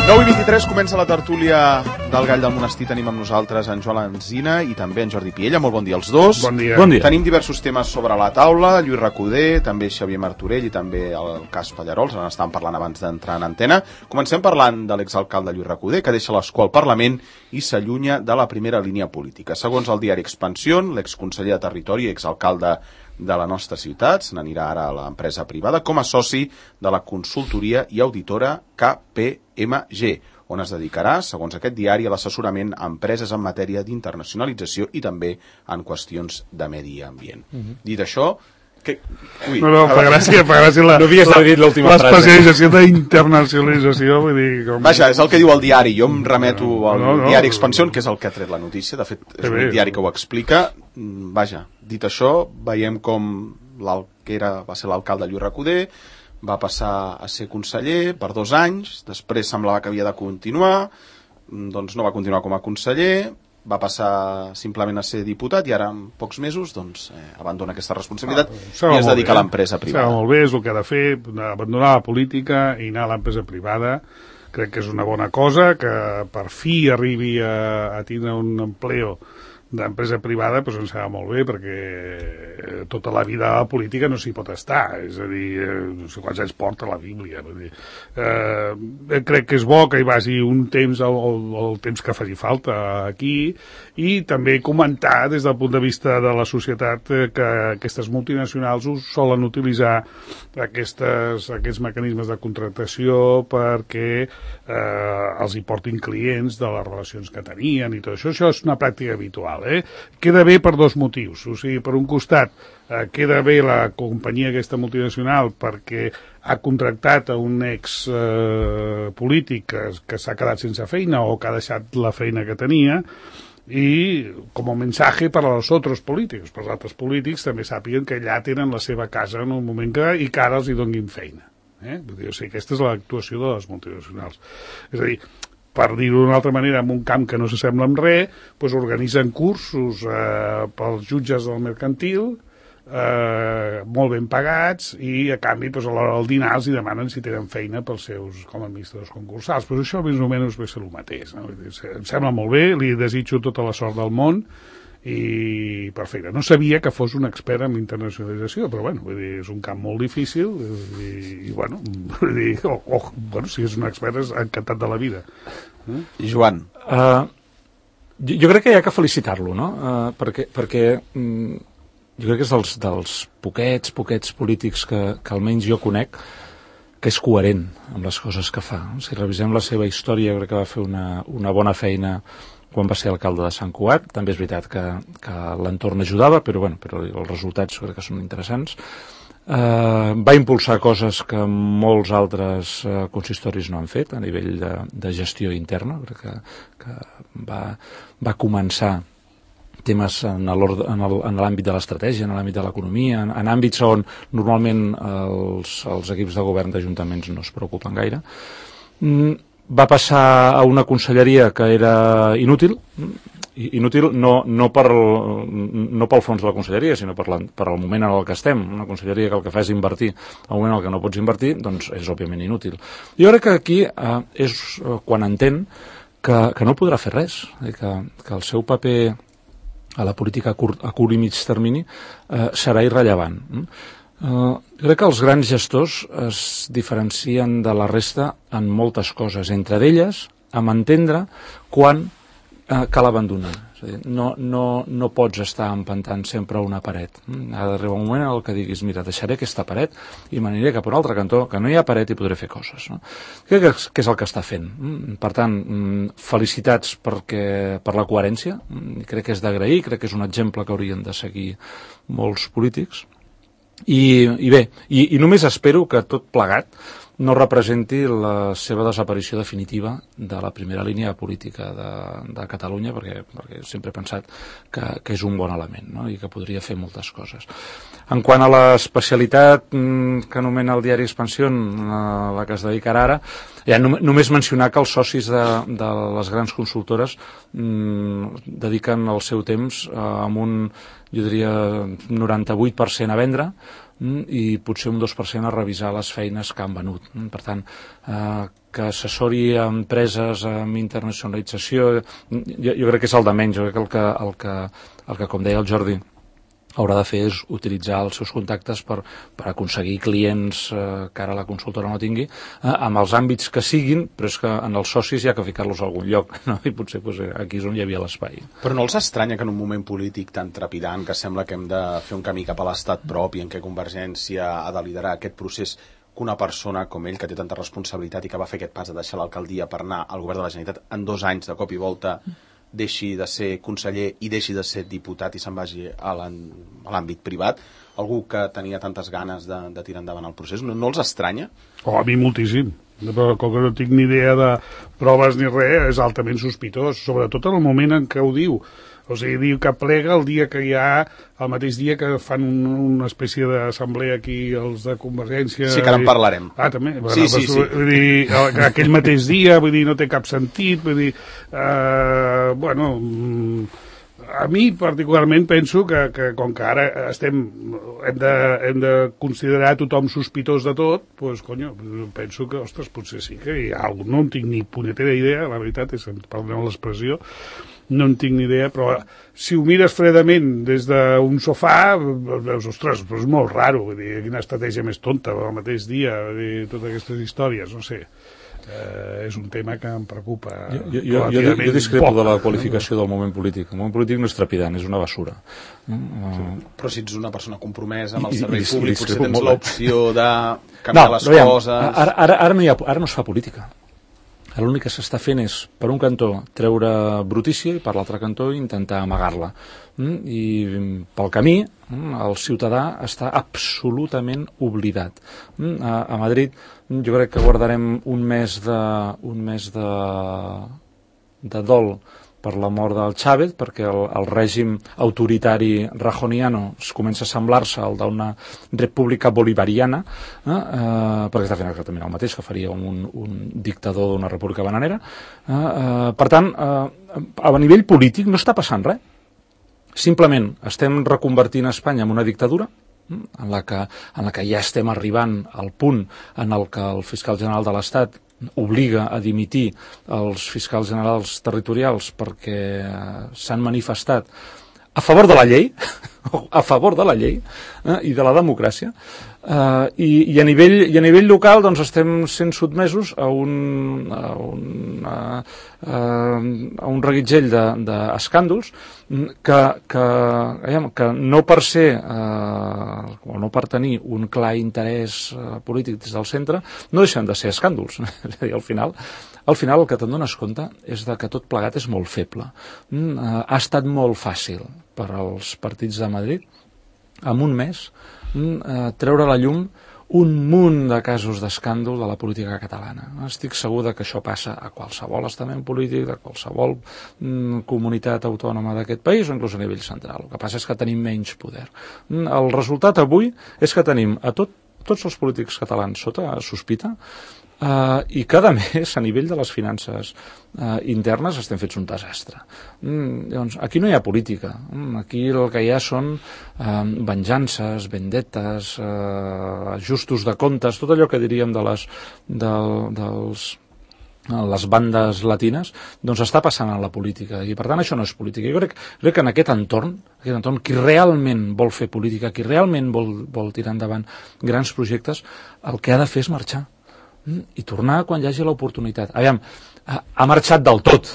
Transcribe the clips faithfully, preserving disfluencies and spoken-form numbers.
nou i vint-i-tres comença la tertúlia del Gall del Monestir. Tenim amb nosaltres en Joan Alsina i també en Jordi Piella. Molt bon dia als dos. Bon dia. Bon dia. Tenim diversos temes sobre la taula. Lluís Recoder, també Xavier Martorell i també el cas Pallarols. En estàvem parlant abans d'entrar en antena. Comencem parlant de l'exalcalde Lluís Recoder, que deixa l'escó al Parlament i s'allunya de la primera línia política. Segons el diari Expansión, l'exconseller de Territori i exalcalde de la nostra ciutat se n'anirà ara a l'empresa privada com a soci de la consultoria i auditora K P M G, on es dedicarà, segons aquest diari, a l'assessorament a empreses en matèria d'internacionalització i també en qüestions de medi ambient. Mm-hmm. Dit això, que... Ui, no, no, fa gràcia, fa gràcia la, no havies dit l'última frase. L'especialització d'internacionalització, vull dir... Com... Vaja, és el que diu el diari, jo em remeto al no, no, diari Expansión, que és el que ha tret la notícia, de fet és un diari que ho explica. Vaja, dit això, veiem com el que era, va ser l'alcalde Lluís Recoder, va passar a ser conseller per dos anys, després semblava que havia de continuar, doncs no va continuar com a conseller, va passar simplement a ser diputat i ara en pocs mesos doncs, eh, abandona aquesta responsabilitat ah, i es dedica bé, a l'empresa privada. Estava molt bé, és el que ha de fer, abandonar la política i anar a l'empresa privada. Crec que és una bona cosa, que per fi arribi a, a tindre un empleo d'empresa privada, doncs ens serà molt bé, perquè tota la vida a la política no s'hi pot estar, és a dir, no sé quants anys porta la Bíblia, vull dir, eh, crec que és bo que hi vagi un temps, el, el, el temps que faci falta aquí, i també comentar des del punt de vista de la societat que aquestes multinacionals us solen utilitzar aquestes, aquests mecanismes de contractació perquè eh, els hi portin clients de les relacions que tenien i tot això, això és una pràctica habitual. Eh? Queda bé per dos motius, o sigui, per un costat eh, queda bé la companyia aquesta multinacional perquè ha contractat a un ex eh, polític que, que s'ha quedat sense feina o que ha deixat la feina que tenia, i com a mensatge per als altres polítics, per als altres polítics també sàpiguen que allà tenen la seva casa en un moment que, i que ara els hi donin feina. Eh? Vull dir, o sigui, aquesta és l'actuació de les multinacionals. És a dir, per dir-ho d'una altra manera, en un camp que no s'assembla amb res, doncs organitzen cursos eh, pels jutges del mercantil, eh, molt ben pagats, i a canvi doncs, a l'hora del dinar els demanen si tenen feina pels seus com a administradors concursals. Però això més o menys ve ser el mateix. No? Em sembla molt bé, li desitjo tota la sort del món, i perfecte. No sabia que fos un expert en internacionalització, però bueno, vull dir, és un camp molt difícil i, i bueno, vull dir, oh, oh, bueno, si és un expert és encantat de la vida. Eh? Joan. Uh, jo, jo crec que hi ha que felicitar-lo, no? Uh, perquè perquè um, jo crec que és dels, dels poquets, poquets polítics que, que almenys jo conec que és coherent amb les coses que fa. Si revisem la seva història, crec que va fer una, una bona feina quan va ser alcalde de Sant Cugat. També és veritat que, que l'entorn ajudava, però, bueno, però els resultats crec que són interessants. Eh, va impulsar coses que molts altres eh, consistoris no han fet a nivell de, de gestió interna. Crec que, que va, va començar temes en l'àmbit de l'estratègia, en l'àmbit de l'economia, en, en àmbits on normalment els, els equips de govern d'ajuntaments no es preocupen gaire. Mm, va passar a una conselleria que era inútil, inútil no, no, per, no pel fons de la conselleria, sinó per, la, per el moment en el que estem. Una conselleria que el que fa és invertir, al moment en el que no pots invertir, doncs és òbviament inútil. Jo crec que aquí eh, és quan entén que, que no podrà fer res, que, que el seu paper a la política a curt, a curt i mig termini eh, serà irrellevant. Uh, crec que els grans gestors es diferencien de la resta en moltes coses, entre elles amb entendre quan uh, cal abandonar. És a dir, no, no, no pots estar empantant sempre a una paret. Ha d'arribar un moment en el que diguis, mira, deixaré aquesta paret i m'aniré cap a un altre cantó, que no hi ha paret i podré fer coses. No? Crec que, que és el que està fent. Per tant, felicitats perquè, per la coherència. Crec que és d'agrair, crec que és un exemple que haurien de seguir molts polítics. I, i bé, i, i només espero que tot plegat no representi la seva desaparició definitiva de la primera línia política de, de Catalunya, perquè, perquè sempre he pensat que, que és un bon element, no? I que podria fer moltes coses. En quant a l'especialitat que anomena el diari Expansión, a la que es dedicarà ara, ja no, només mencionar que els socis de, de les grans consultores mmm, dediquen el seu temps eh, amb un, jo diria, noranta-vuit per cent a vendre, i potser un dos per cent a revisar les feines que han venut. Per tant, eh, que assessori a empreses amb internacionalització, jo, jo crec que és el de menys. Jo crec que el que, el que, el que com deia el Jordi, haurà de fer és utilitzar els seus contactes per, per aconseguir clients eh, que ara la consultora no tingui, eh, amb els àmbits que siguin, però és que en els socis hi ha que ficar-los a algun lloc, no? I potser pues, aquí és on hi havia l'espai. Però no els estranya que en un moment polític tan trepidant, que sembla que hem de fer un camí cap a l'estat propi, en què Convergència ha de liderar aquest procés, que una persona com ell, que té tanta responsabilitat i que va fer aquest pas de deixar l'alcaldia per anar al govern de la Generalitat en dos anys de cop i volta, deixi de ser conseller i deixi de ser diputat i se'n vagi a l'àmbit privat, algú que tenia tantes ganes de, de tirar endavant el procés, no, no els estranya? Oh, a mi moltíssim, però com que no tinc ni idea de proves ni res, és altament sospitós, sobretot en el moment en què ho diu. O sigui, diu que plega el dia que hi ha, el mateix dia que fan un, una espècie d'assemblea aquí els de Convergència. Sí, que ara en parlarem. Ah, també? Bueno, sí, sí, pues, sí. Vull dir, aquell mateix dia, vull dir, no té cap sentit, vull dir, eh, bueno, a mi particularment penso que, que com que ara estem, hem de, hem de considerar tothom sospitós de tot, doncs, conyo, penso que, ostres, potser sí que hi ha algú, no en tinc ni punyetera idea, la veritat és, perdoneu l'expressió, no en tinc ni idea, però si ho mires fredament des d'un sofà, veus, ostres, però és molt raro, vull dir, quina estratègia més tonta, el mateix dia, vull dir, totes aquestes històries, no sé. Eh, és un tema que em preocupa. Jo, jo, jo, jo discrepo poc, de la qualificació del moment polític. El moment polític no és trepidant, és una basura. Mm. Sí. Però si ets una persona compromesa amb el I, servei i, públic, i potser tens molt. l'opció de canviar no, les veiem, coses... Ara, ara, ara, no hi ha, ara no es fa política. L'únic que s'està fent és, per un cantó, treure brutícia i per l'altre cantó intentar amagar-la. I pel camí el ciutadà està absolutament oblidat. A, a Madrid jo crec que guardarem un mes de, un mes de, de dol per la mort del Chávez, perquè el, el règim autoritari rajoniano es comença a semblar-se al d'una república bolivariana, eh, eh, perquè està fent exactament el mateix que faria un, un dictador d'una república bananera. Eh, eh, per tant, eh, a nivell polític no està passant res. Simplement estem reconvertint Espanya en una dictadura, en la que, en la que ja estem arribant al punt en el que el fiscal general de l'Estat obliga a dimitir els fiscals generals territorials perquè s'han manifestat a favor de la llei, a favor de la llei eh, i de la democràcia, eh, i, i, a nivell, i a nivell local doncs, estem sent sotmesos a un, a un, a, a un reguitzell d'escàndols que, que, que no per ser eh, o no per tenir un clar interès eh, polític des del centre no deixen de ser escàndols. És a dir, al final al final el que te'n dones compte és de que tot plegat és molt feble. Mm, eh, ha estat molt fàcil per als partits de Madrid en un mes mm, eh, treure a la llum un munt de casos d'escàndol de la política catalana. Estic segur de que això passa a qualsevol estament polític, de qualsevol mm, comunitat autònoma d'aquest país o inclús a nivell central. El que passa és que tenim menys poder. Mm, el resultat avui és que tenim a tot, tots els polítics catalans sota sospita. Uh, i cada mes a nivell de les finances uh, internes estem fets un desastre. Mm, llavors, aquí no hi ha política. Mm, aquí el que hi ha són uh, venjances, vendetes, uh, ajustos de comptes, tot allò que diríem de les, de, dels, uh, les bandes latines, doncs està passant a la política. I per tant això no és política. Jo crec, crec que en aquest entorn, aquest entorn, qui realment vol fer política, qui realment vol, vol tirar endavant grans projectes, el que ha de fer és marxar i tornar quan hi hagi l'oportunitat. Aviam, ha, ha marxat del tot,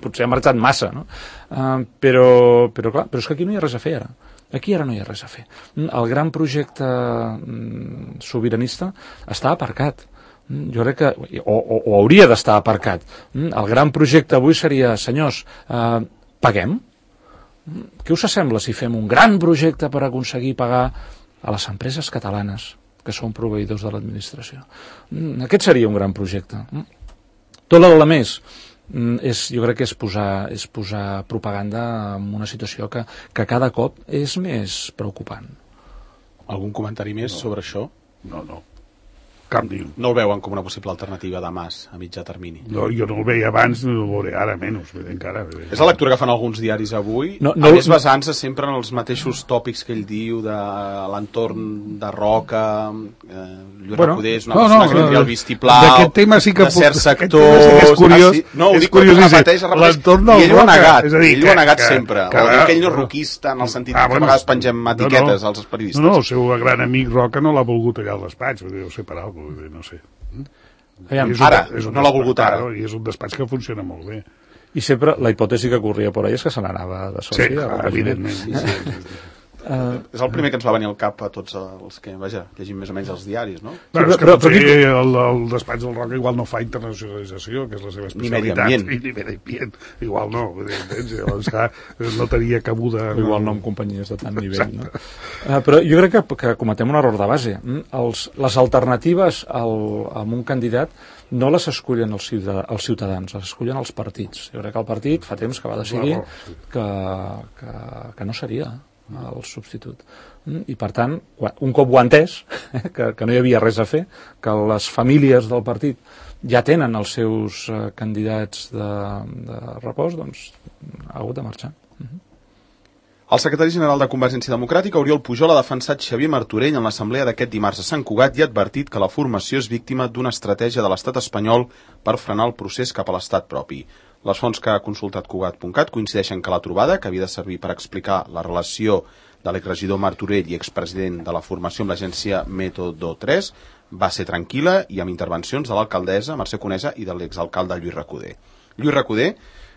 potser ha marxat massa, no? Uh, però, però clar, però és que aquí no hi ha res a fer ara. Aquí ara no hi ha res a fer. El gran projecte mm, sobiranista està aparcat. Jo crec que, o, o, o hauria d'estar aparcat. El gran projecte avui seria, senyors, uh, paguem? Què us sembla si fem un gran projecte per aconseguir pagar a les empreses catalanes que són proveïdors de l'administració? Aquest seria un gran projecte. Tot el més és, jo crec que és posar, és posar propaganda en una situació que, que cada cop és més preocupant. Algun comentari més no. sobre això? No, no. Cap ni un. No el veuen com una possible alternativa de Mas a mitjà termini? No, jo no el veia abans, no el veuré ara menys, encara. És la lectura que fan alguns diaris avui, no, no, a més basant-se sempre en els mateixos tòpics que ell diu de l'entorn de Roca, eh, Lluís bueno, Recoder és una no, persona no, que tindria el vistiplau d'aquest tema sí que de certs sectors... Sí que és curiós, ah, sí? No, ho és dic curiós, perquè repeteix, repeteix, l'entorn del i ell ho ha negat, és a dir, ell ho ha negat que, sempre, que, o que ell no és roquista en el sentit ah, que bueno, a vegades pengem etiquetes no, no, als periodistes. No, no, el seu gran amic Roca no l'ha volgut allà al despatx, deu ser per alguna cosa, no sé. Aviam, és un, ara, és un no l'ha volgut ara. I és un despatx que funciona molt bé. I sempre la hipòtesi que corria per ahí és que se n'anava de soci. Sí, clar, evidentment. Sí, sí, sí, sí. Uh, és el primer que ens va venir al cap a tots els que, vaja, llegim més o menys els diaris, no? Bueno, és que però, potser però, el, el despatx del Roca igual no fa internacionalització, que és la seva especialitat. Ni medi ambient. Ni medi ambient. Igual no, llavors, clar, no tenia cabuda. No. Igual no amb companyies de tant nivell, no? Uh, però jo crec que, que cometem un error de base. Els, les alternatives al, a un candidat no les escullen els, ciutadans, els ciutadans, les escullen els partits. Jo crec que el partit fa temps que va decidir que, que, que no seria el substitut. I per tant, un cop ho ha entès, que, que no hi havia res a fer, que les famílies del partit ja tenen els seus uh, candidats de, de repòs, doncs ha hagut de marxar. Uh-huh. El secretari general de Convergència Democràtica, Oriol Pujol, ha defensat Xavier Martorell en l'assemblea d'aquest dimarts a Sant Cugat i ha advertit que la formació és víctima d'una estratègia de l'estat espanyol per frenar el procés cap a l'estat propi. Les fonts que ha consultat Cugat punt cat coincideixen que la trobada, que havia de servir per explicar la relació de l'exregidor Martorell i expresident de la formació amb l'agència Método tres, va ser tranquil·la i amb intervencions de l'alcaldessa Mercè Conesa i de l'exalcalde Lluís Recoder. Lluís Recoder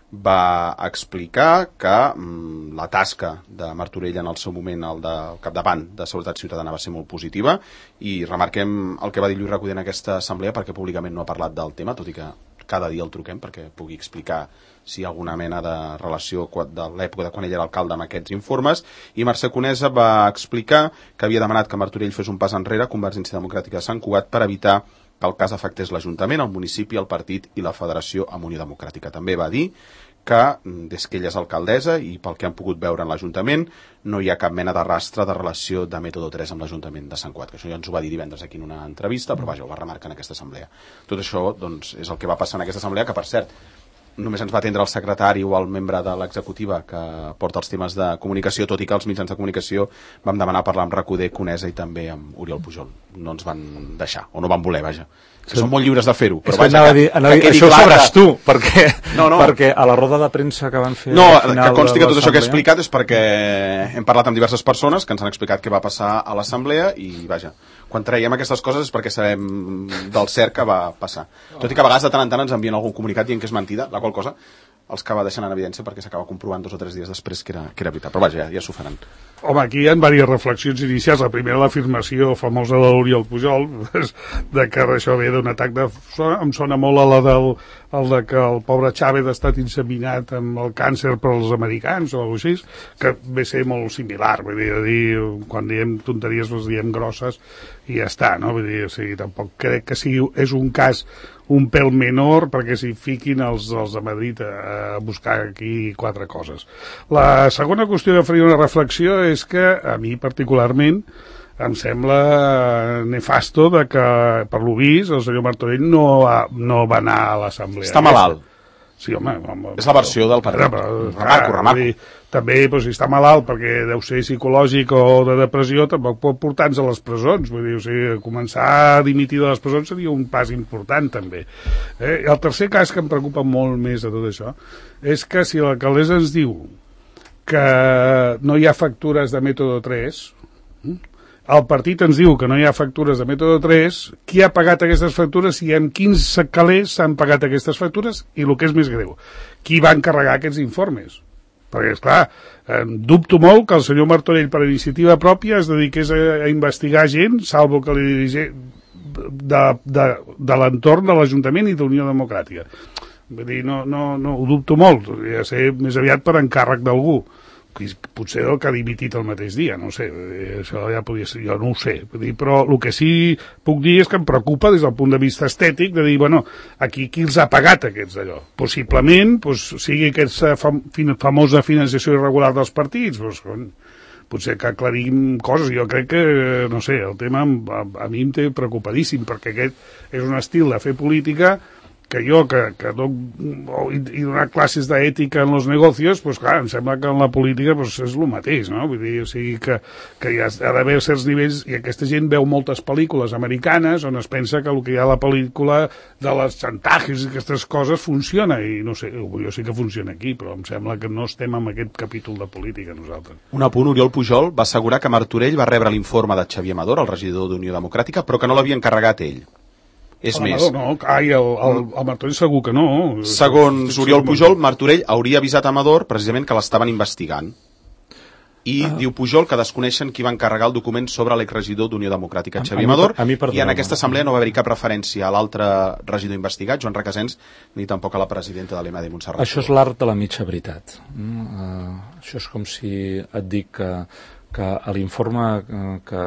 va explicar que mm, la tasca de Martorell en el seu moment, el de capdavant de Seguretat Ciutadana, va ser molt positiva i remarquem el que va dir Lluís Recoder en aquesta assemblea perquè públicament no ha parlat del tema, tot i que cada dia el truquem perquè pugui explicar si hi ha alguna mena de relació de l'època de quan ell era alcalde amb aquests informes. I Mercè Conesa va explicar que havia demanat que Martorell fes un pas enrere a Convergència Democràtica de Sant Cugat per evitar que el cas afectés l'Ajuntament, el municipi, el partit i la Federació amb Unió Democràtica. També va dir que, des que ella és alcaldessa i pel que han pogut veure en l'Ajuntament, no hi ha cap mena de rastre de relació de Método tres amb l'Ajuntament de Sant Cugat, que això ja ens ho va dir divendres aquí en una entrevista, però vaja, ho va remarcar en aquesta assemblea. Tot això doncs, és el que va passar en aquesta assemblea, que per cert, només ens va atendre el secretari o el membre de l'executiva que porta els temes de comunicació, tot i que els mitjans de comunicació vam demanar parlar amb Recoder, Conesa i també amb Oriol Pujol. No ens van deixar, o no van voler, vaja. Que són molt lliures de fer-ho. Però vaja, que, dir, que, que això ho sabràs tu, perquè, no, no. perquè a la roda de premsa que van fer... No, que consti que tot això que he explicat és perquè hem parlat amb diverses persones que ens han explicat què va passar a l'assemblea i, vaja, quan traiem aquestes coses és perquè sabem del cert que va passar. Tot i que a vegades de tant en tant ens envien algun comunicat dient que és mentida, la qual cosa els acaba deixant en evidència perquè s'acaba comprovant dos o tres dies després que era, que era veritat. Però vaja, ja, ja s'ho faran. Home, aquí hi ha diverses reflexions inicials. La primera, l'afirmació famosa de l'Oriol Pujol, de que això ve d'un atac de... Em sona molt a la del el de que el pobre Chávez ha estat inseminat amb el càncer per als americans o alguna cosa així, que ve ser molt similar. Vull dir, dir, quan diem tonteries les diem grosses i ja està, no? Vull dir, o sigui, tampoc crec que sigui, és un cas un pèl menor perquè s'hi fiquin els, els de Madrid a, a buscar aquí quatre coses. La segona qüestió que faria una reflexió és que a mi particularment em sembla nefasto de que, per lo vist, el senyor Martorell no, ha, no va anar a l'assemblea. Està malalt. Sí, home, home, és la versió del partit. Remarco, remarco. Dir, també, doncs, si està malalt perquè deu ser psicològic o de depressió, tampoc pot portar-nos a les presons. Vull dir, o sigui, començar a dimitir de les presons seria un pas important, també. Eh? El tercer cas que em preocupa molt més de tot això és que si l'alcaldessa ens diu que no hi ha factures de Método tres, el partit ens diu que no hi ha factures de Método tres, qui ha pagat aquestes factures i amb quins calés s'han pagat aquestes factures i el que és més greu, qui va encarregar aquests informes? Perquè, esclar, eh, dubto molt que el senyor Martorell per iniciativa pròpia es dediqués a, a investigar gent, salvo que li dirigés de, de, de l'entorn de l'Ajuntament i d'Unió Democràtica. Vull dir, no, no, no, ho dubto molt, ja sé, més aviat per encàrrec d'algú. Potser el que ha dimitit el mateix dia, no sé, això ja podria ser, jo no ho sé, però el que sí puc dir és que em preocupa des del punt de vista estètic de dir, bueno, aquí qui els ha pagat aquests d'allò? Possiblement, doncs, sigui aquesta fam famosa financiació irregular dels partits, doncs, potser que aclarim coses. Jo crec que, no sé, el tema a, a mi em té preocupadíssim, perquè aquest és un estil de fer política que jo, que, que doc, i, i donar classes d'ètica en els negocios, pues clar, em sembla que en la política pues, és el mateix, no? Vull dir, o sigui que, que hi ha, ha d'haver certs nivells, i aquesta gent veu moltes pel·lícules americanes on es pensa que el que hi ha a la pel·lícula de les xantatges i aquestes coses funciona, i no sé, jo sí que funciona aquí, però em sembla que no estem en aquest capítol de política nosaltres. Un apunt, Oriol Pujol va assegurar que Martorell va rebre l'informe de Xavier Amador, el regidor d'Unió Democràtica, però que no l'havia encarregat ell. És el més. Amador, no, ai, el, el, el Martorell segur que no. Segons Oriol Pujol, Martorell hauria avisat a Amador precisament que l'estaven investigant. I ah. diu Pujol que desconeixen qui va encarregar el document sobre l'exregidor d'Unió Democràtica, Xavier Amador, a mi, a mi i en aquesta assemblea no va haver-hi cap referència a l'altre regidor investigat, Joan Requesens, ni tampoc a la presidenta de l'E M A de Montserrat. Això és l'art de la mitja veritat. Mm, uh, això és com si et dic que que l'informe que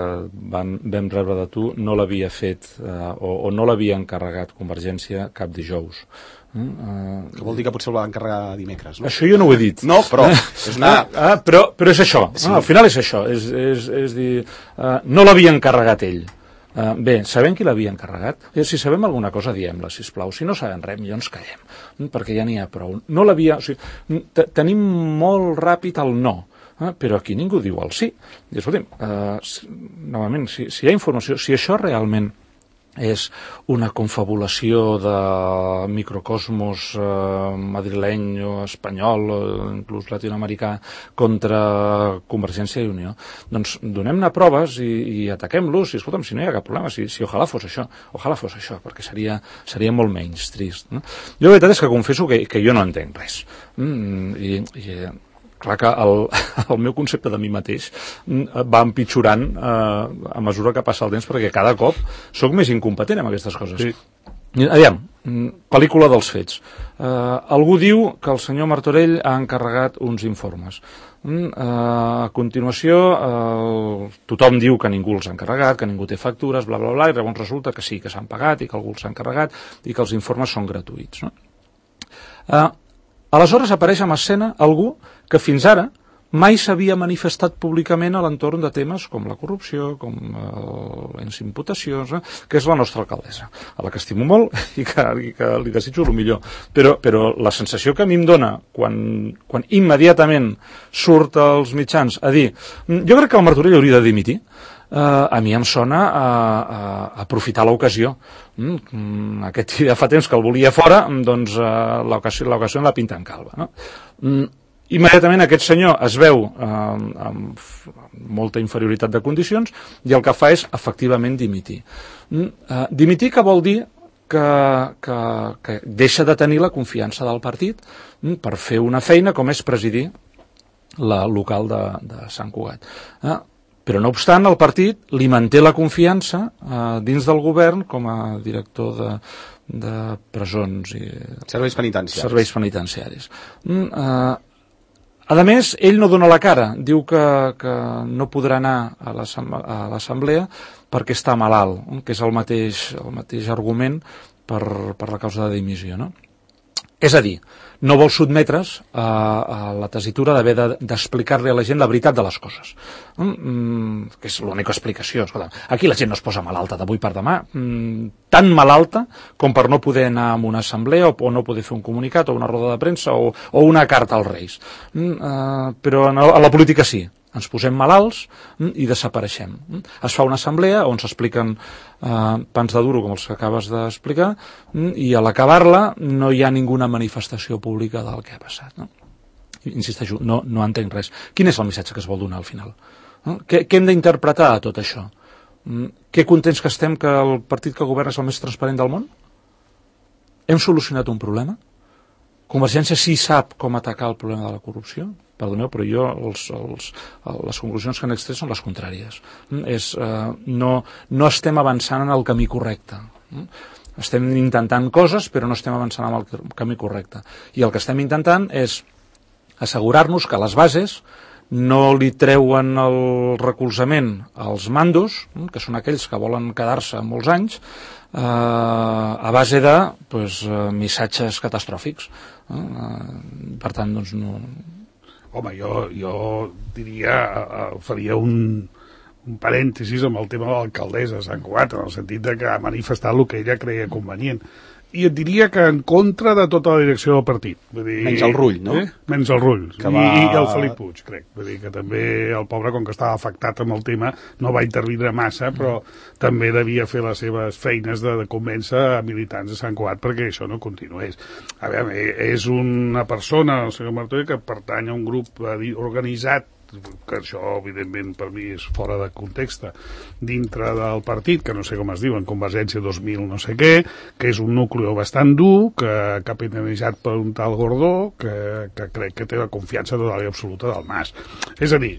van, vam rebre de tu no l'havia fet eh, o, o no l'havia encarregat Convergència cap dijous. Mm? Uh, que vol dir que potser el va encarregar dimecres, no? Això jo no ho he dit. No, però és una... Ah, ah, però, però és això, sí. ah, al final és això, és, és, és dir, uh, no l'havia encarregat ell. Uh, bé, sabem qui l'havia encarregat? Si sabem alguna cosa, diem-la, sisplau. Si no sabem res, millor ens callem, perquè ja n'hi ha prou. No l'havia... O sigui, tenim molt ràpid el no, eh, però aquí ningú diu el sí. I, escolta'm, uh, novament, si, si hi ha informació, si això realment és una confabulació de microcosmos eh, madrileny o espanyol o inclús latinoamericà contra Convergència i Unió, doncs donem-ne proves i, i ataquem-los, i escolta'm, si no hi ha cap problema, si, si ojalà fos això, ojalà fos això, perquè seria, seria molt menys trist, no? Jo la veritat és que confesso que, que jo no entenc res. Mm, i, i clar que el, el meu concepte de mi mateix va empitjorant eh, a mesura que passa el temps, perquè cada cop sóc més incompetent en aquestes coses. Sí. Aviam, pel·lícula dels fets. Eh, algú diu que el senyor Martorell ha encarregat uns informes. Eh, a continuació, eh, tothom diu que ningú els ha encarregat, que ningú té factures, bla, bla, bla, i llavors resulta que sí, que s'han pagat i que algú els ha encarregat i que els informes són gratuïts, no? Eh, Aleshores apareix en escena algú que fins ara mai s'havia manifestat públicament a l'entorn de temes com la corrupció, com eh, les imputacions, eh, que és la nostra alcaldessa, a la que estimo molt i que, i que li desitjo el millor. Però, però la sensació que a mi em dona quan, quan immediatament surt als mitjans a dir jo crec que el Martorell hauria de dimitir, Uh, a mi em sona a, a, a aprofitar l'ocasió. Mm, aquest ja fa temps que el volia fora, doncs uh, l'ocasió la pinta en calva, no? Mm, immediatament aquest senyor es veu uh, amb molta inferioritat de condicions i el que fa és efectivament dimitir. Mm, uh, dimitir que vol dir que, que, que deixa de tenir la confiança del partit mm, per fer una feina com és presidir la local de, de Sant Cugat. Uh, Però no obstant, el partit li manté la confiança eh, dins del govern com a director de, de presons i serveis penitenciaris. Serveis penitenciaris. Mm, eh, a més, ell no dona la cara, diu que, que no podrà anar a l'assemblea perquè està malalt, que és el mateix, el mateix argument per, per la causa de dimissió, no? És a dir, no vol sotmetre's a, a la tessitura d'haver d'explicar-li a la gent la veritat de les coses. Mm, que és l'única explicació. Escolta, aquí la gent no es posa malalta d'avui per demà, mm, tan malalta com per no poder anar a una assemblea o, o no poder fer un comunicat o una roda de premsa o, o una carta als Reis. Mm, uh, però a la política sí. Ens posem malalts mm, i desapareixem. Mm. Es fa una assemblea on s'expliquen eh, pans de duro, com els que acabes d'explicar, mm, i a l'acabar-la no hi ha ninguna manifestació pública del que ha passat. No? Insisteixo, no, no entenc res. Quin és el missatge que es vol donar al final? No? Què, què hem d'interpretar a tot això? Mm, que contents que estem que el partit que governa és el més transparent del món? Hem solucionat un problema? Convergència sí sap com atacar el problema de la corrupció? Perdoneu, però jo els, els, les conclusions que han extret són les contràries. És, eh, no, no estem avançant en el camí correcte. Estem intentant coses, però no estem avançant en el camí correcte. I el que estem intentant és assegurar-nos que les bases no li treuen el recolzament als mandos, que són aquells que volen quedar-se molts anys, eh, a base de pues, missatges catastròfics. Eh, per tant, doncs, no... home, jo, jo diria, uh, faria un, un parèntesis amb el tema de l'alcaldessa de Sant Cugat, en el sentit de que ha manifestat el que ella creia convenient. I et diria que en contra de tota la direcció del partit. Vull dir, menys el Rull, no? Eh? Menys el Rull. Que I, va... I el Felip Puig, crec. Vull dir que també el pobre, com que estava afectat amb el tema, no va intervindre massa, però mm. també devia fer les seves feines de, de convèncer a militants de Sant Cugat perquè això no continués. A veure, és una persona, el senyor Martorell, que pertany a un grup organitzat, que això evidentment per mi és fora de context, dintre del partit, que no sé com es diu, en Convergència dos mil no sé què, que és un nucli bastant dur, que capitanitzat per un tal Gordó, que, que crec que té la confiança total i absoluta del Mas. És a dir,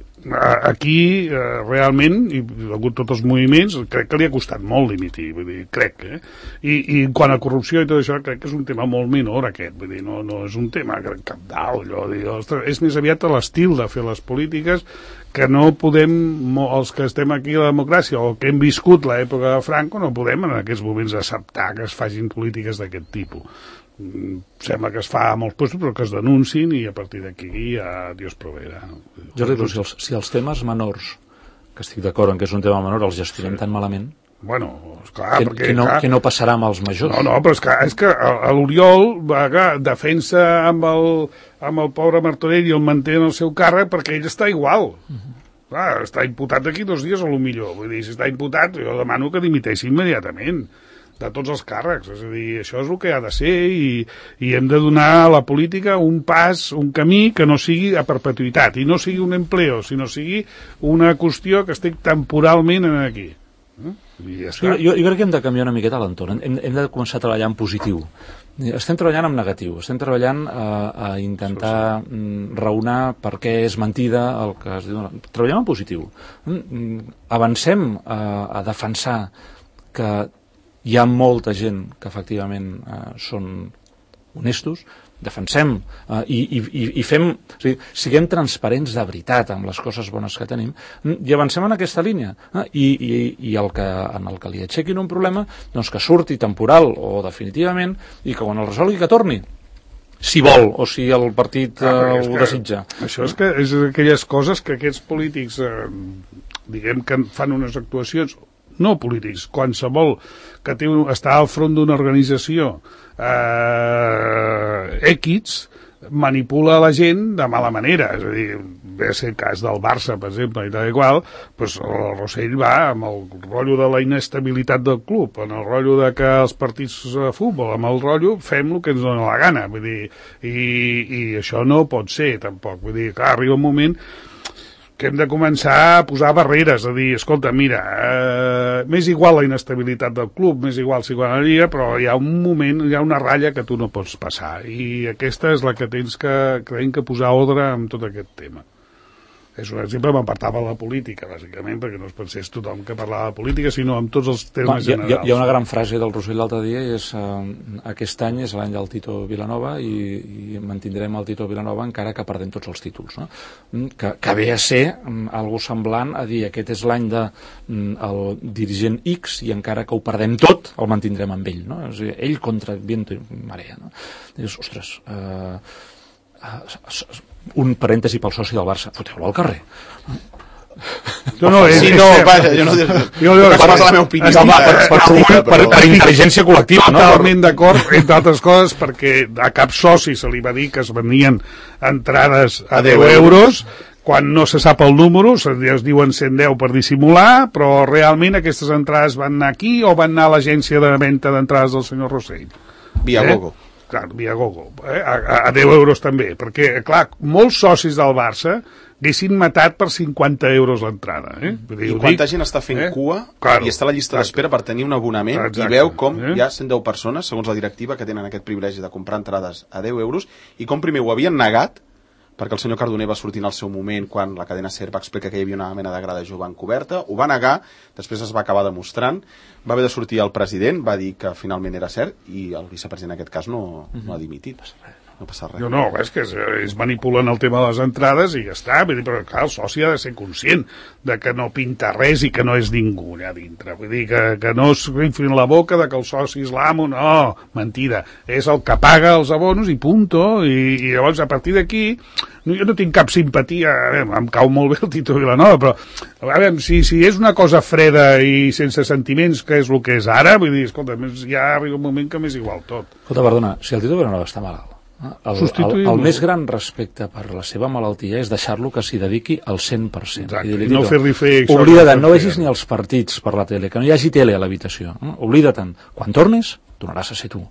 aquí realment, i ha hagut tots els moviments, crec que li ha costat molt dimitir, vull dir, crec, eh? I, i quan a corrupció i tot això, crec que és un tema molt menor aquest, vull dir, no, no és un tema cabdal, allò, dir, ostres, és més aviat l'estil de fer les polítiques que no podem, els que estem aquí a la democràcia o que hem viscut l'època de Franco, no podem en aquests moments acceptar que es facin polítiques d'aquest tipus. Sembla que es fa a molts llocs, però que es denuncin i a partir d'aquí ja Dios proveerà. Jordi, si els, si els temes menors, que estic d'acord en que és un tema menor, els gestionem sí. tan malament, bueno, esclar, que, perquè, que, no, clar, que no passarà amb els majors. No, no, però és que, és que l'Oriol defensa amb el, amb el pobre Martorell i el manté en el seu càrrec perquè ell està igual. Uh-huh. Clar, està imputat d'aquí dos dies a lo millor. Vull dir, si està imputat, jo demano que dimiteixi immediatament de tots els càrrecs, és a dir, això és el que ha de ser i, i hem de donar a la política un pas, un camí que no sigui a perpetuïtat i no sigui un empleo, sinó sigui una qüestió que estic temporalment aquí. I ja està. Jo, jo crec que hem de canviar una miqueta l'entorn, hem, hem de començar a treballar en positiu. Estem treballant en negatiu, estem treballant a, a intentar sí, sí. raonar per què és mentida el que es diu. Treballem en positiu. Avancem a, a defensar que hi ha molta gent que efectivament eh, són honestos, defensem eh, i, i, i fem, o sigui, siguem transparents de veritat amb les coses bones que tenim i avancem en aquesta línia eh, i, i, i el que, en el que li aixequin un problema, doncs que surti temporal o definitivament i que quan el resolgui que torni si vol o si el partit eh, ah, ho que, desitja. Això és que és aquelles coses que aquests polítics eh, diguem que fan unes actuacions no polítics, qualsevol que té, està al front d'una organització eh, X manipula la gent de mala manera, és a dir, ve a ser el cas del Barça, per exemple, i tal i qual, doncs el Rossell va amb el rotllo de la inestabilitat del club, en el rotllo de que els partits de futbol, amb el rotllo fem el que ens dona la gana, vull dir, i, i això no pot ser, tampoc, vull dir, clar, arriba un moment que hem de començar a posar barreres, a dir, escolta, mira, eh, m'és igual la inestabilitat del club, m'és igual si guanya la Lliga, però hi ha un moment, hi ha una ratlla que tu no pots passar, i aquesta és la que tens que, creiem, que posar ordre amb tot aquest tema. És un exemple, m'apartava de la política, bàsicament, perquè no es pensés tothom que parlava de política, sinó amb tots els temes Va, generals. Hi ha, hi ha una gran frase del Rossell l'altre dia, i és eh, aquest any és l'any del Tito Vilanova i, i mantindrem el Tito Vilanova encara que perdem tots els títols. No? Que, que ve a ser um, algo semblant a dir aquest és l'any de um, el dirigent X i encara que ho perdem tot, el mantindrem amb ell. No? És a dir, ell contra viento i marea. No? Dius, ostres... Eh, un parèntesi pel soci del Barça, foteu-lo al carrer. No, no, és, sí, no, vaja, jo no diré, jo no, parles de la meva opinió. No, per, per, per, per, per intel·ligència col·lectiva, no? Totalment d'acord, entre altres coses, perquè a cap soci se li va dir que es venien entrades a deu euros, quan no se sap el número, es diuen cent deu per dissimular, però realment aquestes entrades van anar aquí o van anar a l'agència de venda d'entrades del senyor Rossell? Via eh? Gogo. Clar, via Gogo, eh? a, a deu euros també, perquè, clar, molts socis del Barça haguessin matat per cinquanta euros l'entrada. Eh? I quanta dic, gent està fent eh? cua claro, i està a la llista d'espera per tenir un abonament exacte, i veu com eh? hi ha cent deu persones, segons la directiva, que tenen aquest privilegi de comprar entrades a deu euros i com primer ho havien negat perquè el senyor Cardoner va sortir en el seu moment quan la cadena SER va explicar que hi havia una mena de grada jove encoberta, ho va negar, després es va acabar demostrant, va haver de sortir el president, va dir que finalment era cert i el vicepresident en aquest cas no, no ha dimitit. no passa res. No, no, és que ells manipulen el tema de les entrades i ja està, vull dir, però clar, el soci ha de ser conscient de que no pinta res i que no és ningú allà dintre, vull dir, que, que no es inflin la boca de que el soci és l'amo, no, mentida, és el que paga els abonos i punto, i, i llavors a partir d'aquí, no, jo no tinc cap simpatia, a veure, em cau molt bé el Tito Vilanova, però a veure, si, si és una cosa freda i sense sentiments, que és el que és ara, vull dir, escolta, ja arriba un moment que m'és igual tot. Escolta, perdona, si el Tito Vilanova està malalt, El, el, el més gran respecte per la seva malaltia és deixar-lo que s'hi dediqui al cent per cent. Exacte, i no fer-li fer... Oblida't, no vegis ni els partits per la tele, que no hi hagi tele a l'habitació. Eh? Oblida't-en. Quan tornis, tornaràs a ser tu.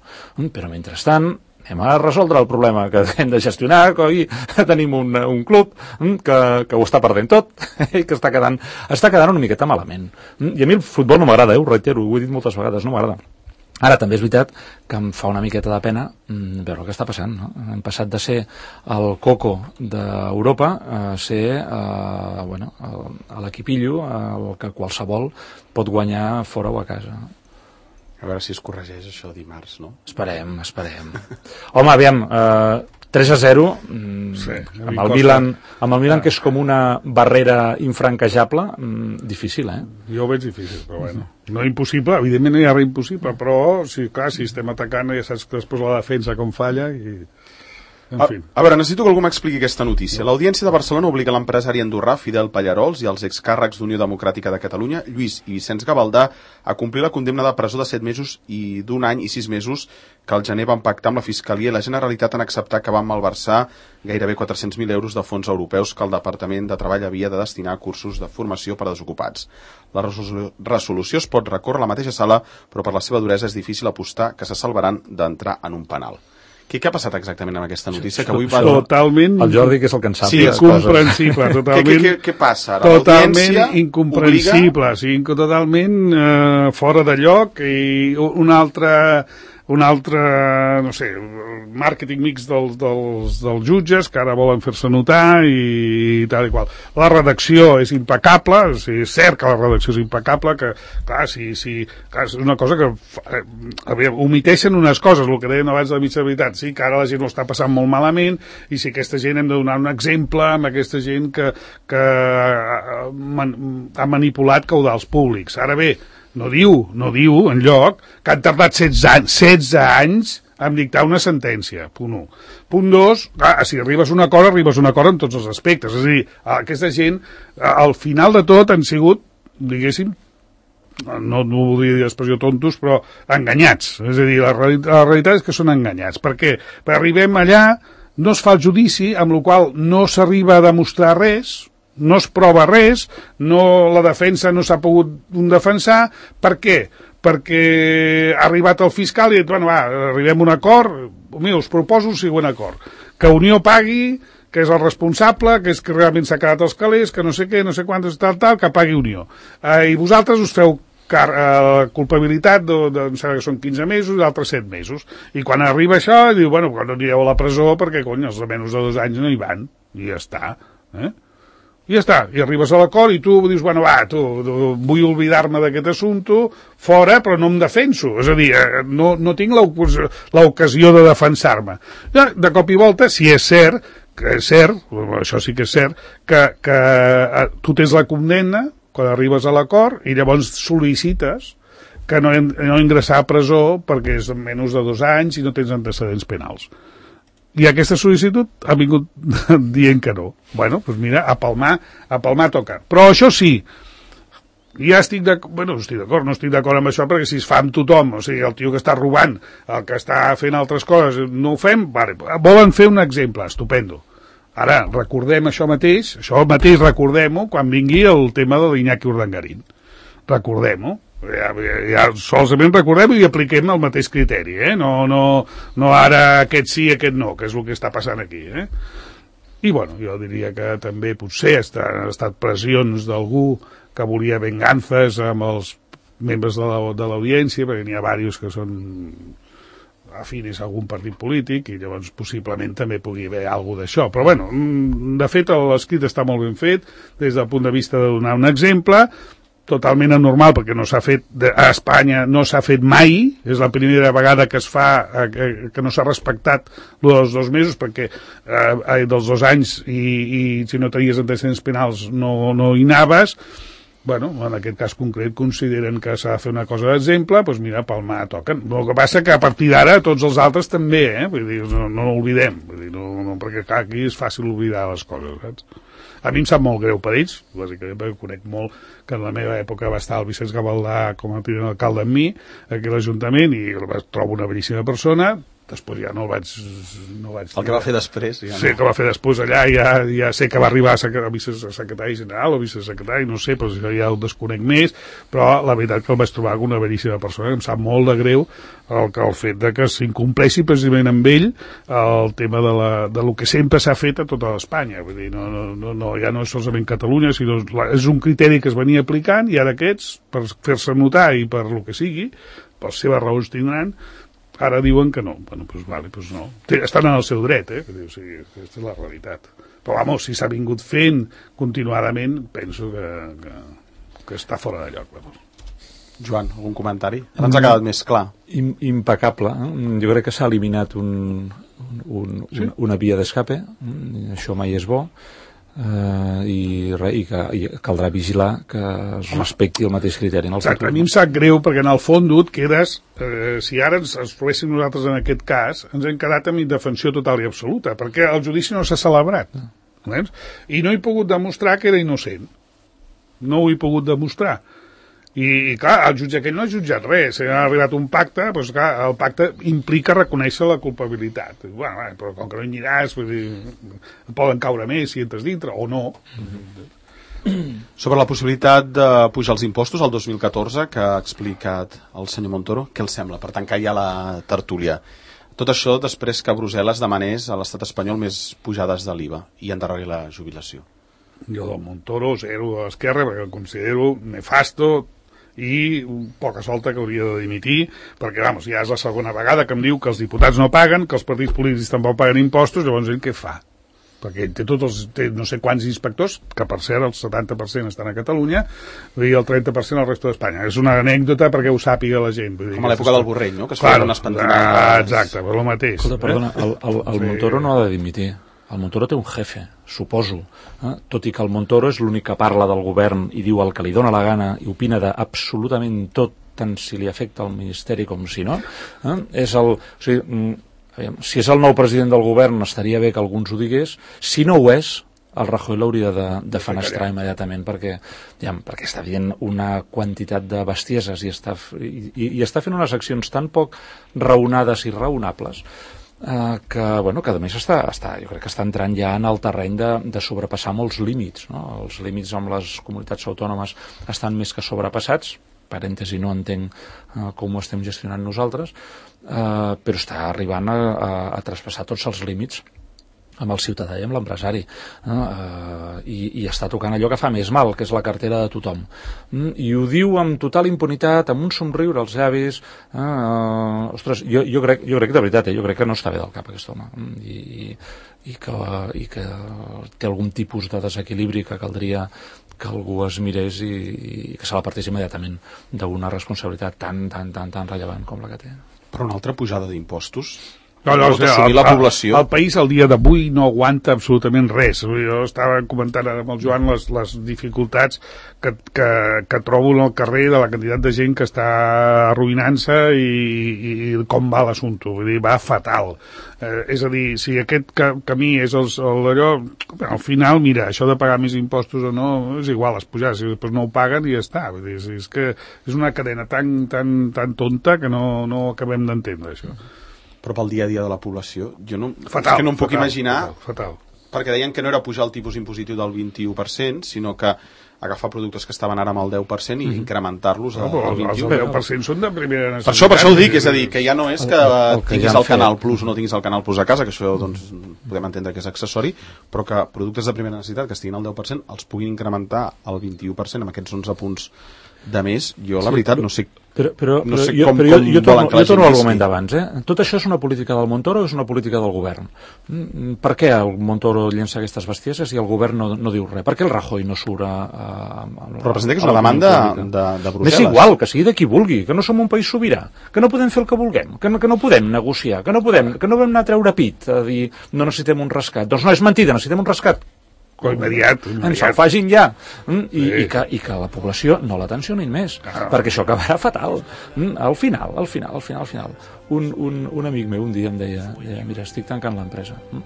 Però mentrestant, anem a resoldre el problema que hem de gestionar, coi, tenim un, un club que, que ho està perdent tot i que està quedant, està quedant una miqueta malament. I a mi el futbol no m'agrada, eh? Ho reitero, ho he dit moltes vegades, no m'agrada. Ara, també és veritat que em fa una miqueta de pena mmm, veure el que està passant. No? Hem passat de ser el coco d'Europa a ser eh, bueno, el, l'equipillo el que qualsevol pot guanyar fora o a casa. A veure si es corregeix això dimarts, no? Esperem, esperem. Home, aviam, eh, tres a zero, mm, sí, amb, el Milan, amb el Milan, que és com una barrera infranquejable, mm, difícil, eh? Jo ho veig difícil, però bueno. No impossible, evidentment no hi ha res impossible, però, sí, clar, si estem atacant ja saps que després la defensa com falla i... En a, fi. a veure, necessito que algú m'expliqui aquesta notícia. L'Audiència de Barcelona obliga l'empresari andorrà Fidel Pallarols i els excàrrecs d'Unió Democràtica de Catalunya, Lluís i Vicenç Gavaldà, a complir la condemna de presó de set mesos i d'un any i sis mesos que al gener van pactar amb la Fiscalia i la Generalitat en acceptar que van malversar gairebé quatre-cents mil euros de fons europeus que el Departament de Treball havia de destinar a cursos de formació per a desocupats. La resolució es pot recórrer a la mateixa sala, però per la seva duresa és difícil apostar que se salvaran d'entrar en un penal. Què, què ha passat exactament amb aquesta notícia? Que avui va... Totalment... El Jordi, que és el que en sap. Sí, incomprensible, totalment... Què, què, què passa ara? Totalment incomprensible, obliga... sí, totalment eh, fora de lloc i un altre... un altre, no sé, màrqueting mix dels, dels, dels jutges que ara volen fer-se notar i tal i qual. La redacció és impecable, o sigui, és cert que la redacció és impecable, que, clar, si, si, clar, és una cosa que eh, aviam, omiteixen unes coses, el que deien abans de la mitja veritat, sí, que ara la gent ho està passant molt malament i si aquesta gent hem de donar un exemple amb aquesta gent que, que ha, ha manipulat caudals públics. Ara bé, no diu, no diu, enlloc, que han tardat setze anys, setze anys en dictar una sentència, punt un. Punt dos, ah, si arribes a un acord, arribes a un acord en tots els aspectes. És a dir, aquesta gent, al final de tot, han sigut, diguéssim, no, no voldria dir l'expressió tontos, però enganyats. És a dir, la realitat, la realitat és que són enganyats. Per què? Perquè arribem allà, no es fa el judici, amb la qual no s'arriba a demostrar res, no es prova res, no, la defensa no s'ha pogut defensar. Per què? Perquè ha arribat el fiscal i ha dit, bueno, va, arribem a un acord, mira, us proposo un següent acord, que Unió pagui, que és el responsable, que és que realment s'ha quedat els calés, que no sé què, no sé quantes, tal, tal, que pagui Unió. Eh, I vosaltres us feu car eh, culpabilitat, de, de, em sembla que són quinze mesos, i d'altres set mesos. I quan arriba això, diu, bueno, quan no anireu a la presó, perquè, cony, els de menys de dos anys no hi van, i ja està, eh? I ja està, i arribes a l'acord i tu dius, bueno, va, tu, tu vull oblidar-me d'aquest assumpte, fora, però no em defenso. És a dir, no, no tinc l'ocasió de defensar-me. De cop i volta, si és cert, que és cert, això sí que és cert, que, que tu tens la condemna quan arribes a l'acord i llavors sol·licites que no, no ingressar a presó perquè és menys de dos anys i no tens antecedents penals. I aquesta sol·licitud ha vingut dient que no. Bueno, doncs mira, a palmar, a palmar toca. Però això sí, ja estic d'acord, bueno, estic d'acord, no estic d'acord amb això perquè si es fa amb tothom, o sigui, el tio que està robant, el que està fent altres coses, no ho fem, vale, volen fer un exemple, estupendo. Ara, recordem això mateix, això mateix recordem-ho quan vingui el tema de l'Iñaki Urdangarín. Recordem-ho. Ja, ja solament recordem i apliquem el mateix criteri, eh? no, no, no ara aquest sí, aquest no, que és el que està passant aquí. Eh? I bueno, jo diria que també potser han estat pressions d'algú que volia vengances amb els membres de l'audiència, perquè n'hi ha diversos que són afines a algun partit polític i llavors possiblement també pugui haver alguna d'això. Però bueno, de fet l'escrit està molt ben fet des del punt de vista de donar un exemple. totalment anormal, perquè no s'ha fet, de, a Espanya no s'ha fet mai, és la primera vegada que es fa, eh, que, que no s'ha respectat dels dos mesos, perquè eh, dels dos anys i, i si no tenies antecedents penals no, no hi anaves. Bueno, en aquest cas concret consideren que s'ha de fer una cosa d'exemple, doncs mira, palmar toquen. El que passa que a partir d'ara tots els altres també, eh? Vull dir, no, no l'oblidem, vull dir, no, no, perquè clar, aquí és fàcil oblidar les coses, saps? A mi em sap molt greu per ells, bàsicament perquè conec molt que en la meva època va estar el Vicenç Gavaldà com a tinent alcalde amb mi, aquí a l'Ajuntament, i el trobo una bellíssima persona. Després ja no el vaig... No vaig el que va fer després. Ja sí, no. que va fer després allà, ja, ja sé que va arribar a vicesecretari general o vicesecretari, no sé, però això ja el desconec més, però la veritat que el vaig trobar una bellíssima persona, em sap molt de greu el, el fet de que s'incompleixi precisament amb ell el tema de, la, de lo que sempre s'ha fet a tota Espanya. Vull dir, no, no, no, no, ja no és solament Catalunya, sinó és un criteri que es venia aplicant i ara aquests, per fer-se notar i per lo que sigui, per seves raons tindran, ara diuen que no. Bueno, doncs vale, doncs no. Estan en el seu dret, eh? O sigui, aquesta és la realitat. Però, vamos, si s'ha vingut fent continuadament, penso que, que, que està fora de lloc. Vamos. Joan, algun comentari? Ara ens ha quedat més clar. Im, impecable. Eh? Jo crec que s'ha eliminat un, un, sí? un, una via d'escape. Això mai és bo. Uh, i, re, i que i caldrà vigilar que es respecti el mateix criteri en el Exacte, a mi em sap greu perquè en el fons tu et quedes eh, si ara ens, ens trobéssim nosaltres en aquest cas ens hem quedat amb indefensió total i absoluta perquè el judici no s'ha celebrat no. I no he pogut demostrar que era innocent, no ho he pogut demostrar i, i clar, el jutge aquell no ha jutjat res, ha arribat un pacte, doncs clar, el pacte implica reconèixer la culpabilitat. Bueno, però com que no hi aniràs, vull dir, poden caure més si entres dintre, o no. Mm-hmm. Sobre la possibilitat de pujar els impostos al dos mil catorze, que ha explicat el senyor Montoro, què els sembla? Per tancar ja la tertúlia. Tot això després que Brussel·les demanés a l'estat espanyol més pujades de l'I V A i endarrerir la jubilació. Jo del Montoro, zero a l'esquerra, perquè el considero nefasto, i poca solta que hauria de dimitir perquè, vamos, ja és la segona vegada que em diu que els diputats no paguen, que els partits polítics tampoc paguen impostos, llavors ell què fa? Perquè ell té tots els, té no sé quants inspectors, que per cert el setanta per cent estan a Catalunya i el trenta per cent al resto d'Espanya. És una anècdota perquè ho sàpiga la gent. Vull dir, com a l'època del Borrell, no? Que es claro, feien unes pentinades. Ah, exacte, però el mateix. Escolta, perdona, el, el, el sí. Montoro no ha de dimitir. El Montoro té un jefe, suposo, eh? Tot i que el Montoro és l'únic que parla del govern i diu el que li dóna la gana i opina d'absolutament tot, tant si li afecta al Ministeri com si no. Eh? És el, o sigui, aviam, si és el nou president del govern estaria bé que algú ens ho digués. Si no ho és, el Rajoy l'hauria de, de fenestrar immediatament perquè, ja, perquè està dient una quantitat de bestieses i està, i, i està fent unes accions tan poc raonades i raonables Uh, que, bueno, que a més està, està, jo crec que està entrant ja en el terreny de, de sobrepassar molts límits, no? Els límits amb les comunitats autònomes estan més que sobrepassats, parèntesi, no entenc uh, com ho estem gestionant nosaltres, uh, però està arribant a, a, a traspassar tots els límits amb el ciutadà i amb l'empresari, eh? uh, i, i està tocant allò que fa més mal, que és la cartera de tothom. Mm, I ho diu amb total impunitat, amb un somriure als llavis. Eh? Uh, ostres, jo, jo, crec, jo crec de veritat, eh? Jo crec que no està bé del cap aquest home, i, i, i, que, i que té algun tipus de desequilibri que caldria que algú es mirés i, i que se la partís immediatament d'una responsabilitat tan, tan, tan, tan rellevant com la que té. Però una altra pujada d'impostos... No, no, o sigui, el, la població. El, el país al dia d'avui no aguanta absolutament res. Jo estava comentant amb el Joan les, les dificultats que, que, que trobo en el carrer de la quantitat de gent que està arruïnant-se i, i com va l'assumpte. Vull dir, va fatal. Eh, és a dir, si aquest ca, camí és el, el allò, al final, mira, això de pagar més impostos o no, és igual, les pujades, si després no ho paguen i ja està. Vull dir, és, és que és una cadena tan, tan, tan tonta que no, no acabem d'entendre, això. Però pel dia a dia de la població, jo no, fatal, és que no em puc fatal, imaginar, fatal, fatal. Perquè deien que no era pujar el tipus impositiu del vint-i-u per cent, sinó que agafar productes que estaven ara amb el deu per cent i mm-hmm. incrementar-los al no, vint-i-u per cent. Els deu per cent són de primera necessitat. Per això, per això ho dic, és a dir, que ja no és que el, el, el que tinguis ja el Canal fet. Plus o no tinguis el Canal Plus a casa, que això doncs, podem entendre que és accessori, però que productes de primera necessitat que estiguin al deu per cent els puguin incrementar al vint-i-u per cent amb aquests onze punts de més. Jo, la sí, veritat, no sé Però, però, no sé jo, com, però jo, com jo torno, volen que la jo torno gent a l'argument visqui. d'abans, eh? Tot això és una política del Montoro o és una política del govern? Mm, Per què el Montoro llença aquestes bestieses i el govern no, no diu res? Per què el Rajoy no surt a... a, a Representa que és a una demanda l'opinió pública? de, de Brussel·les. M'és igual, que sigui de qui vulgui, que no som un país sobirà, que no podem fer el que vulguem, que no, que no podem negociar, que no podem, que no vam anar a treure pit a dir no necessitem un rescat. Doncs no, és mentida, necessitem un rescat. Immediat, Ens el immediat. facin ja. Mm, i, Sí. i, que, I que la població no la tensionin més, Ah. perquè això acabarà fatal. Mm, al final, al final, al final, al final. Un, un, un amic meu un dia em deia, deia mira, estic tancant l'empresa. Mm.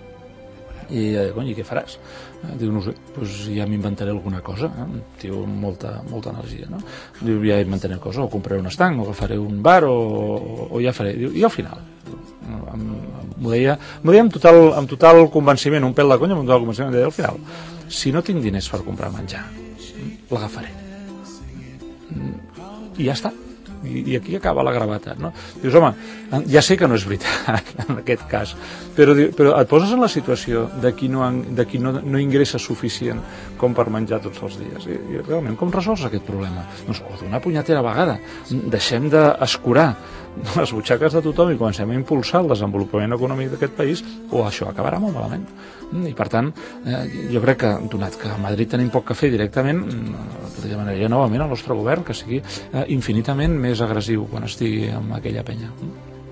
I, eh, cony, i què faràs? Eh, Diu, no sé, doncs ja m'inventaré alguna cosa. Eh? Tio, amb molta, molta energia, no? Diu, ja inventaré una cosa, o compraré un estanc, o agafaré un bar, o, o, o ja faré. Diu, i al final? M'ho deia, m'ho deia amb, total, amb total convenciment, un pèl de conya, amb total convenciment, em deia, al final, si no tinc diners per comprar menjar, l'agafaré. I ja està. I, i aquí acaba la gravetat, no? Dius, home, ja sé que no és veritat en aquest cas, però, però et poses en la situació de qui no, de qui no, no ingressa suficient com per menjar tots els dies. I, i realment, com resols aquest problema? Doncs, o d'una punyetera vegada. Deixem d'escurar les butxaques de tothom i comencem a impulsar el desenvolupament econòmic d'aquest país, o això acabarà molt malament. I per tant, eh, jo crec que, donat que a Madrid tenim poc que fer directament, demanaria novament al nostre govern que sigui eh, infinitament més agressiu quan estigui amb aquella penya.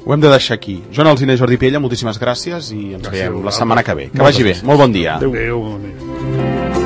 Ho hem de deixar aquí. Joan Alsina i Jordi Piella, moltíssimes gràcies i ens Gràcies veiem a la vosaltres. setmana que ve. Que Moltes vagi bé. gràcies. Molt bon dia. Adéu. Adéu.